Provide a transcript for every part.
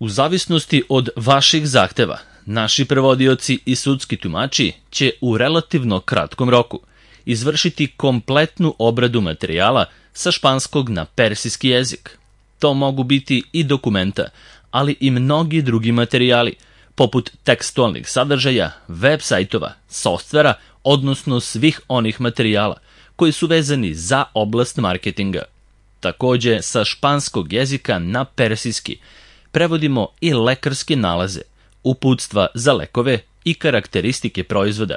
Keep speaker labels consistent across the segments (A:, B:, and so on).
A: U zavisnosti od vaših zahteva, naši prevodioci i sudski tumači će u relativno kratkom roku izvršiti kompletnu obradu materijala sa španskog na persijski jezik. To mogu biti i dokumenta, ali i mnogi drugi materijali, poput tekstualnih sadržaja, web sajtova, softvera, odnosno svih onih materijala koji su vezani za oblast marketinga. Takođe, sa španskog jezika na persijski prevodimo i lekarske nalaze, uputstva za lekove i karakteristike proizvoda,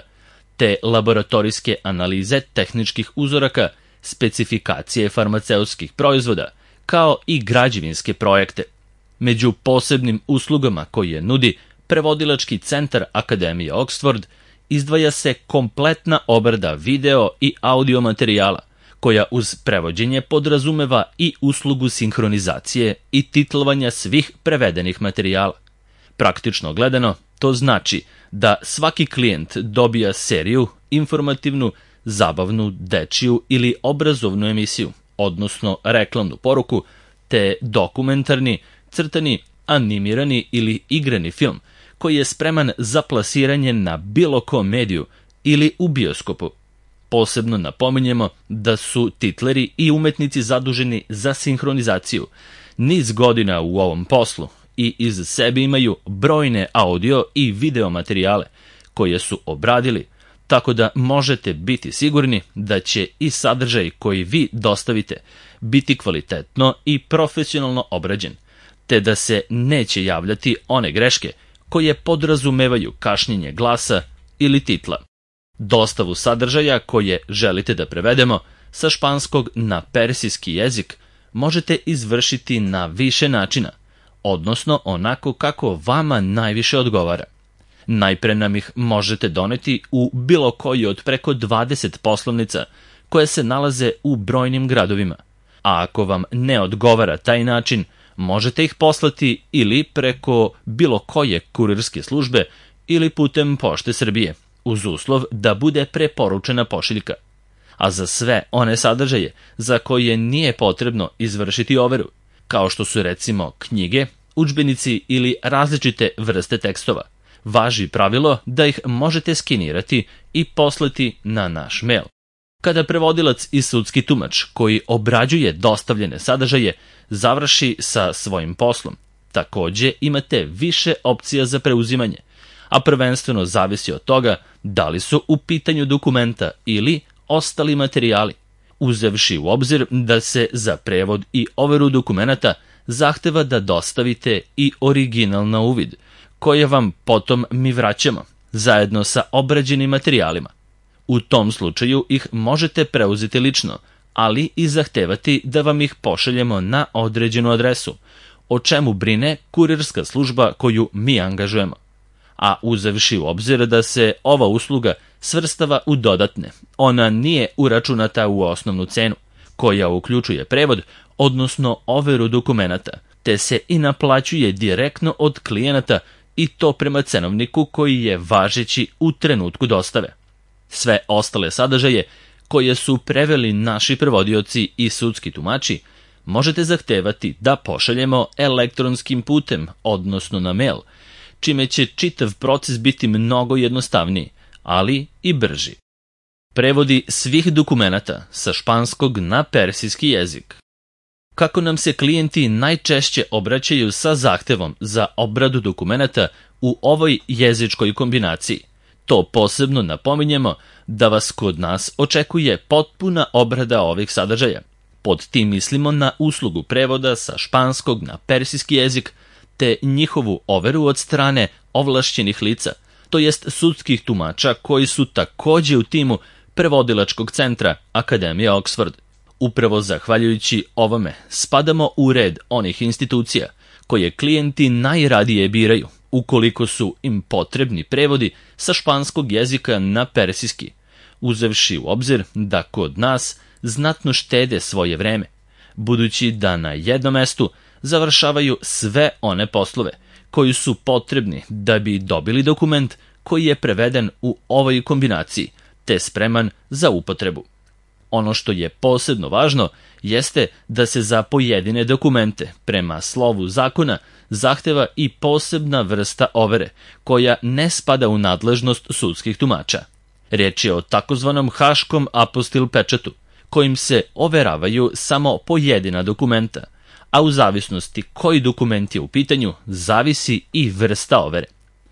A: te laboratorijske analize tehničkih uzoraka, specifikacije farmaceutskih proizvoda, kao i građevinske projekte. Među posebnim uslugama koje nudi Prevodilački centar Akademije Oxford izdvaja se kompletna obrada video i audio materijala, koja uz prevođenje podrazumeva i uslugu sinhronizacije i titlovanja svih prevedenih materijala. Praktično gledano, to znači da svaki klijent dobija seriju, informativnu, zabavnu, dečiju ili obrazovnu emisiju, odnosno reklamnu poruku, te dokumentarni, crtani, animirani ili igrani film, koji je spreman za plasiranje na bilo kom mediju ili u bioskopu. Posebno napominjemo da su titleri i umetnici zaduženi za sinhronizaciju niz godina u ovom poslu i iz sebe imaju brojne audio i video materijale koje su obradili, tako da možete biti sigurni da će i sadržaj koji vi dostavite biti kvalitetno i profesionalno obrađen, te da se neće javljati one greške koje podrazumevaju kašnjenje glasa ili titla. Dostavu sadržaja koje želite da prevedemo sa španskog na persijski jezik možete izvršiti na više načina, odnosno onako kako vama najviše odgovara. Najpre nam ih možete doneti u bilo koji od preko 20 poslovnica koje se nalaze u brojnim gradovima, a ako vam ne odgovara taj način, možete ih poslati ili preko bilo koje kurirske službe ili putem Pošte Srbije, uz uslov da bude preporučena pošiljka. A za sve one sadržaje za koje nije potrebno izvršiti overu, kao što su recimo knjige, udžbenici ili različite vrste tekstova, važi pravilo da ih možete skenirati i poslati na naš mail. Kada prevodilac i sudski tumač koji obrađuje dostavljene sadržaje završi sa svojim poslom, takođe imate više opcija za preuzimanje, a prvenstveno zavisi od toga da li su u pitanju dokumenta ili ostali materijali, uzevši u obzir da se za prevod i overu dokumenata zahteva da dostavite i original na uvid, koje vam potom mi vraćamo, zajedno sa obrađenim materijalima. U tom slučaju ih možete preuzeti lično, ali i zahtevati da vam ih pošaljemo na određenu adresu, o čemu brine kurirska služba koju mi angažujemo. A uzevši u obzir da se ova usluga svrstava u dodatne, ona nije uračunata u osnovnu cenu, koja uključuje prevod, odnosno overu dokumenata, te se i naplaćuje direktno od klijenata i to prema cenovniku koji je važeći u trenutku dostave. Sve ostale sadržaje koje su preveli naši prevodioci i sudski tumači možete zahtevati da pošaljemo elektronskim putem, odnosno na mail, čime će čitav proces biti mnogo jednostavniji, ali i brži. Prevodi svih dokumenata sa španskog na persijski jezik. Kako nam se klijenti najčešće obraćaju sa zahtevom za obradu dokumenata u ovoj jezičkoj kombinaciji, to posebno napominjemo da vas kod nas očekuje potpuna obrada ovih sadržaja. Pod tim mislimo na uslugu prevoda sa španskog na persijski jezik, te njihovu overu od strane ovlašćenih lica, to jest sudskih tumača koji su takođe u timu Prevodilačkog centra Akademije Oxford. Upravo zahvaljujući ovome spadamo u red onih institucija koje klijenti najradije biraju ukoliko su im potrebni prevodi sa španskog jezika na persijski, uzevši u obzir da kod nas znatno štede svoje vreme, budući da na jednom mestu završavaju sve one poslove koji su potrebni da bi dobili dokument koji je preveden u ovoj kombinaciji, te spreman za upotrebu. Ono što je posebno važno jeste da se za pojedine dokumente prema slovu zakona zahteva i posebna vrsta overe, koja ne spada u nadležnost sudskih tumača. Riječ je o takozvanom haškom apostil pečatu, kojim se overavaju samo pojedina dokumenta, a u zavisnosti koji dokument je u pitanju, zavisi i vrsta overe.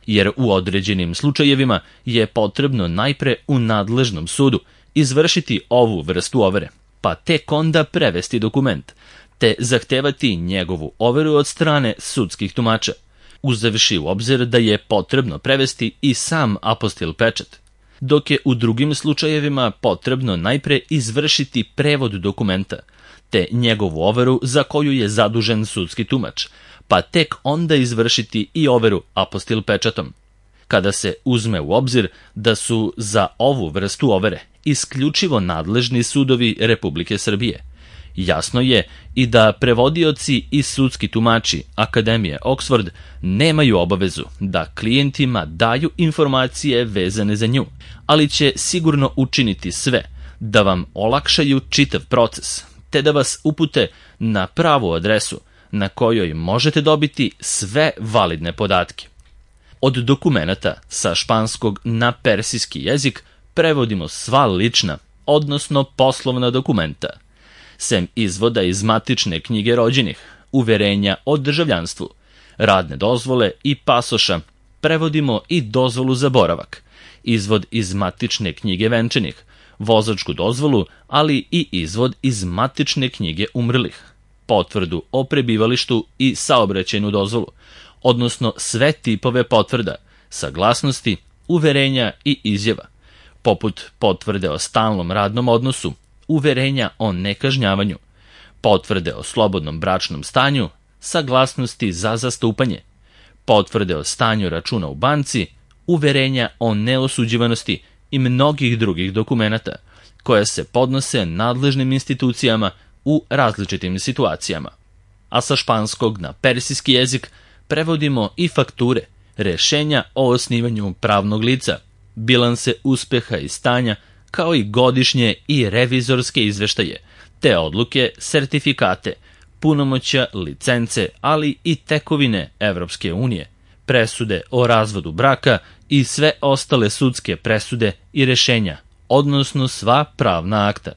A: Jer u određenim slučajevima je potrebno najpre u nadležnom sudu izvršiti ovu vrstu overe, pa tek onda prevesti dokument, te zahtevati njegovu overu od strane sudskih tumača, uzevši u obzir da je potrebno prevesti i sam apostil pečat, dok je u drugim slučajevima potrebno najpre izvršiti prevod dokumenta, te njegovu overu za koju je zadužen sudski tumač, pa tek onda izvršiti i overu apostil pečatom. Kada se uzme u obzir da su za ovu vrstu overe isključivo nadležni sudovi Republike Srbije, jasno je i da prevodioci i sudski tumači Akademije Oxford nemaju obavezu da klijentima daju informacije vezane za nju, ali će sigurno učiniti sve da vam olakšaju čitav proces, te da vas upute na pravu adresu na kojoj možete dobiti sve validne podatke. Od dokumenata sa španskog na persijski jezik prevodimo sva lična, odnosno poslovna dokumenta, sem izvoda iz matične knjige rođenih, uverenja o državljanstvu, radne dozvole i pasoša, prevodimo i dozvolu za boravak, izvod iz matične knjige venčanih, vozačku dozvolu, ali i izvod iz matične knjige umrlih, potvrdu o prebivalištu i saobraćajnu dozvolu, odnosno sve tipove potvrda, saglasnosti, uverenja i izjava, poput potvrde o stalnom radnom odnosu, uverenja o nekažnjavanju, potvrde o slobodnom bračnom stanju, saglasnosti za zastupanje, potvrde o stanju računa u banci, uverenja o neosuđivanosti i mnogih drugih dokumenata, koja se podnose nadležnim institucijama u različitim situacijama. A sa španskog na persijski jezik prevodimo i fakture, rešenja o osnivanju pravnog lica, bilanse uspeha i stanja, kao i godišnje i revizorske izveštaje, te odluke, sertifikate, punomoćja, licence, ali i tekovine Evropske unije, presude o razvodu braka i sve ostale sudske presude i rešenja, odnosno sva pravna akta.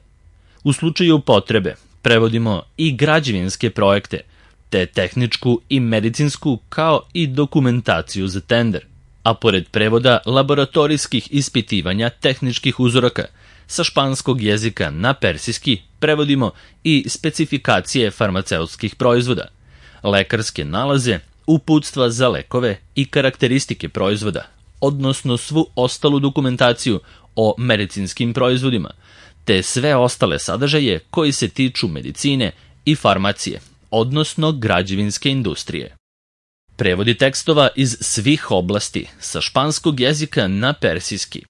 A: U slučaju potrebe prevodimo i građevinske projekte, te tehničku i medicinsku, kao i dokumentaciju za tender, a pored prevoda laboratorijskih ispitivanja tehničkih uzoraka sa španskog jezika na persijski prevodimo i specifikacije farmaceutskih proizvoda, lekarske nalaze, uputstva za lekove i karakteristike proizvoda, odnosno svu ostalu dokumentaciju o medicinskim proizvodima, te sve ostale sadržaje koji se tiču medicine i farmacije, odnosno građevinske industrije. Prevodi tekstova iz svih oblasti sa španskog jezika na persijski.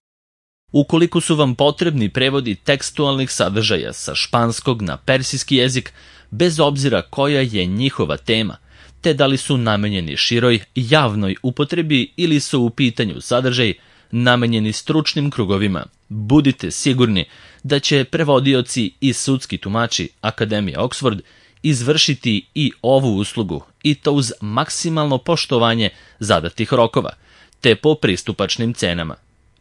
A: Ukoliko su vam potrebni prevodi tekstualnih sadržaja sa španskog na persijski jezik, bez obzira koja je njihova tema, te da li su namenjeni široj javnoj upotrebi ili su u pitanju sadržaj namenjeni stručnim krugovima, budite sigurni da će prevodioci i sudski tumači Akademije Oxford izvršiti i ovu uslugu, i to uz maksimalno poštovanje zadatih rokova, te po pristupačnim cenama.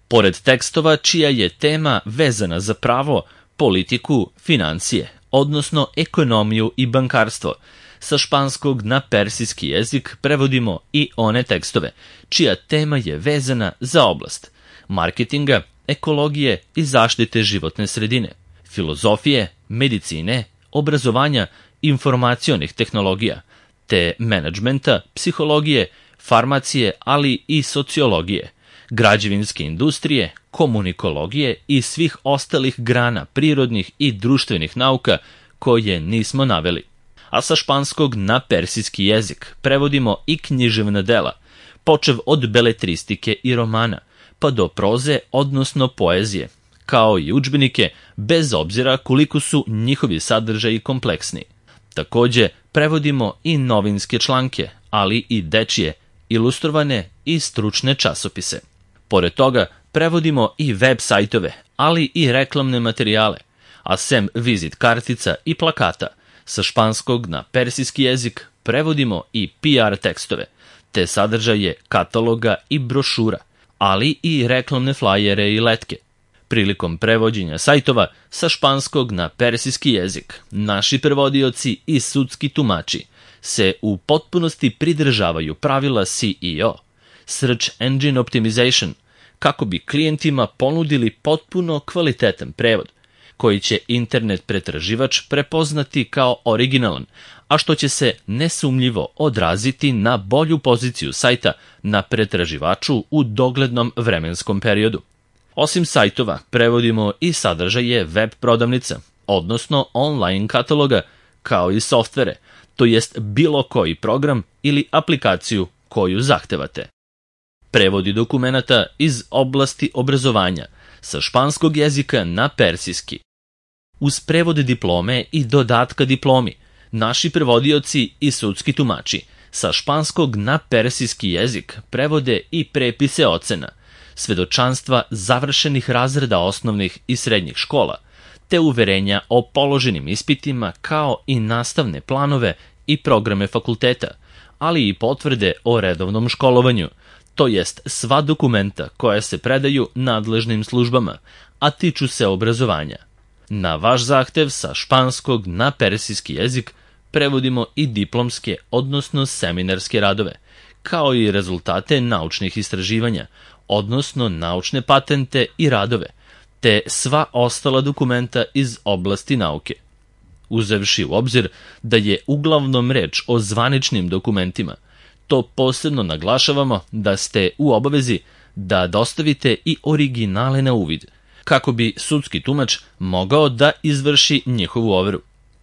A: Pored tekstova čija je tema vezana za pravo, politiku, financije, odnosno ekonomiju i bankarstvo, sa španskog na persijski jezik prevodimo i one tekstove čija tema je vezana za oblast marketinga, ekologije i zaštite životne sredine, filozofije, medicine, obrazovanja, informacionih tehnologija, te menadžmenta, psihologije, farmacije, ali i sociologije, građevinske industrije, komunikologije i svih ostalih grana prirodnih i društvenih nauka koje nismo naveli. A sa španskog na persijski jezik prevodimo i književna dela, počev od beletristike i romana, pa do proze, odnosno poezije, kao i udžbenike, bez obzira koliko su njihovi sadržaji kompleksni. Takođe, prevodimo i novinske članke, ali i dečije, ilustrovane i stručne časopise. Pored toga, prevodimo i web sajtove, ali i reklamne materijale, a sem vizit kartica i plakata, sa španskog na persijski jezik prevodimo i PR tekstove, te sadržaje kataloga i brošura, ali i reklamne flajere i letke. Prilikom prevođenja sajtova sa španskog na persijski jezik, naši prevodioci i sudski tumači se u potpunosti pridržavaju pravila SEO, Search Engine Optimization, kako bi klijentima ponudili potpuno kvalitetan prevod, koji će internet pretraživač prepoznati kao originalan, a što će se nesumnjivo odraziti na bolju poziciju sajta na pretraživaču u doglednom vremenskom periodu. Osim sajtova, prevodimo i sadržaje web prodavnica, odnosno online kataloga, kao i softvere, to jest bilo koji program ili aplikaciju koju zahtevate. Prevodi dokumenata iz oblasti obrazovanja sa španskog jezika na persijski. Uz prevod diplome i dodatka diplomi, naši prevodioci i sudski tumači sa španskog na persijski jezik prevode i prepise ocena, svedočanstva završenih razreda osnovnih i srednjih škola, te uverenja o položenim ispitima kao i nastavne planove i programe fakulteta, ali i potvrde o redovnom školovanju, to jest sva dokumenta koja se predaju nadležnim službama, a tiču se obrazovanja. Na vaš zahtev sa španskog na persijski jezik prevodimo i diplomske, odnosno seminarske radove, kao i rezultate naučnih istraživanja, odnosno naučne patente i radove, te sva ostala dokumenta iz oblasti nauke. Uzevši u obzir da je uglavnom reč o zvaničnim dokumentima, to posebno naglašavamo da ste u obavezi da dostavite i originale na uvid, kako bi sudski tumač mogao da izvrši njihovu overu.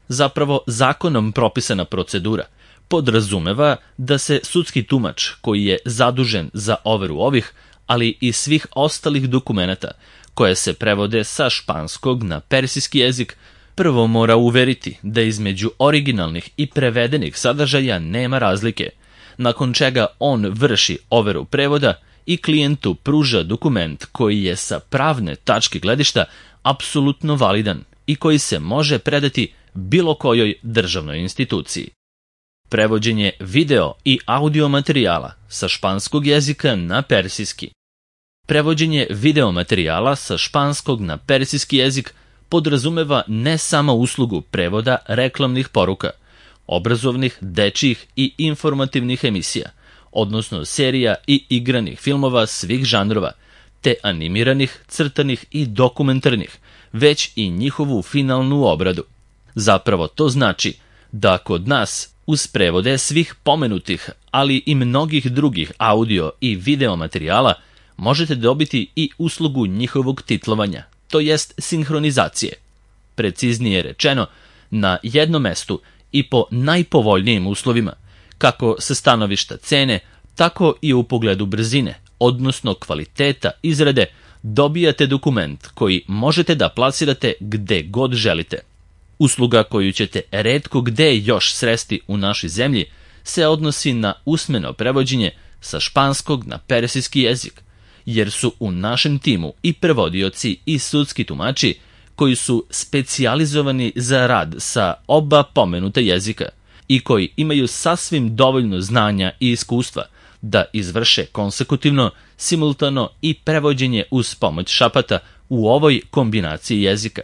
A: Zapravo, zakonom propisana procedura podrazumeva da se sudski tumač koji je zadužen za overu ovih, ali i svih ostalih dokumenata koje se prevode sa španskog na persijski jezik, prvo mora uveriti da između originalnih i prevedenih sadržaja nema razlike, nakon čega on vrši overu prevoda i klijentu pruža dokument koji je sa pravne tačke gledišta apsolutno validan i koji se može predati bilo kojoj državnoj instituciji. Prevođenje video i audio materijala sa španskog jezika na persijski. Prevođenje video materijala sa španskog na persijski jezik podrazumeva ne samo uslugu prevoda reklamnih poruka, obrazovnih, dečjih i informativnih emisija, odnosno serija i igranih filmova svih žanrova, te animiranih, crtanih i dokumentarnih, već i njihovu finalnu obradu. Zapravo to znači da kod nas uz prevode svih pomenutih, ali i mnogih drugih audio i video materijala možete dobiti i uslugu njihovog titlovanja, to jest sinhronizacije. Preciznije rečeno, na jednom mestu i po najpovoljnijim uslovima, kako sa stanovišta cene, tako i u pogledu brzine, odnosno kvaliteta izrade, dobijate dokument koji možete da plasirate gde god želite. Usluga koju ćete retko gde još sresti u našoj zemlji se odnosi na usmeno prevođenje sa španskog na persijski jezik, jer su u našem timu i prevodioci i sudski tumači koji su specijalizovani za rad sa oba pomenuta jezika i koji imaju sasvim dovoljno znanja i iskustva da izvrše konsekutivno, simultano i prevođenje uz pomoć šapata u ovoj kombinaciji jezika.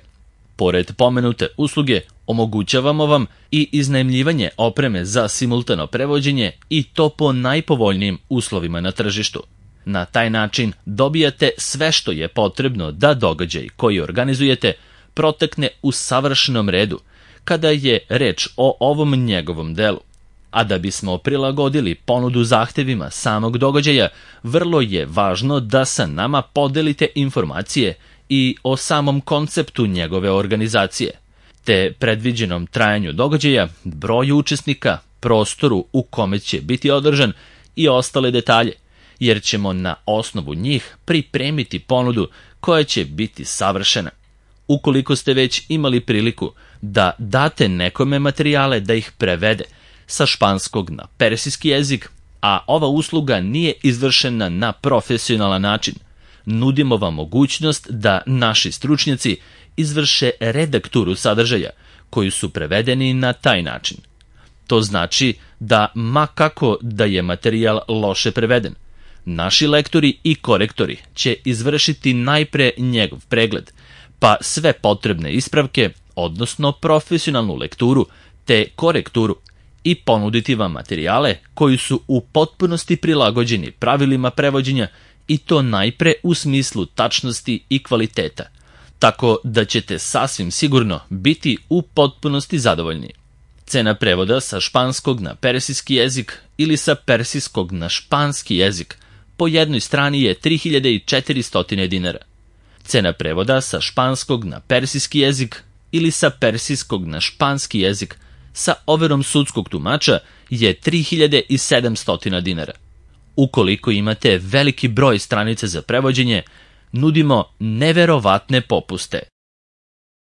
A: Pored pomenute usluge, omogućavamo vam i iznajmljivanje opreme za simultano prevođenje i to po najpovoljnijim uslovima na tržištu. Na taj način dobijate sve što je potrebno da događaj koji organizujete protekne u savršenom redu, kada je reč o ovom njegovom delu. A da bismo prilagodili ponudu zahtevima samog događaja, vrlo je važno da sa nama podelite informacije i o samom konceptu njegove organizacije, te predviđenom trajanju događaja, broju učesnika, prostoru u kome će biti održan i ostale detalje, jer ćemo na osnovu njih pripremiti ponudu koja će biti savršena. Ukoliko ste već imali priliku da date nekome materijale da ih prevede sa španskog na persijski jezik, a ova usluga nije izvršena na profesionalan način, nudimo vam mogućnost da naši stručnjaci izvrše redakturu sadržaja, koji su prevedeni na taj način. To znači da, ma kako da je materijal loše preveden, naši lektori i korektori će izvršiti najpre njegov pregled, pa sve potrebne ispravke, odnosno profesionalnu lekturu te korekturu, i ponuditi vam materijale koji su u potpunosti prilagođeni pravilima prevođenja, i to najpre u smislu tačnosti i kvaliteta, tako da ćete sasvim sigurno biti u potpunosti zadovoljni. Cena prevoda sa španskog na persijski jezik ili sa persijskog na španski jezik po jednoj strani je 3400 dinara. Cena prevoda sa španskog na persijski jezik ili sa persijskog na španski jezik sa overom sudskog tumača je 3700 dinara. Ukoliko imate veliki broj stranica za prevođenje, nudimo neverovatne popuste.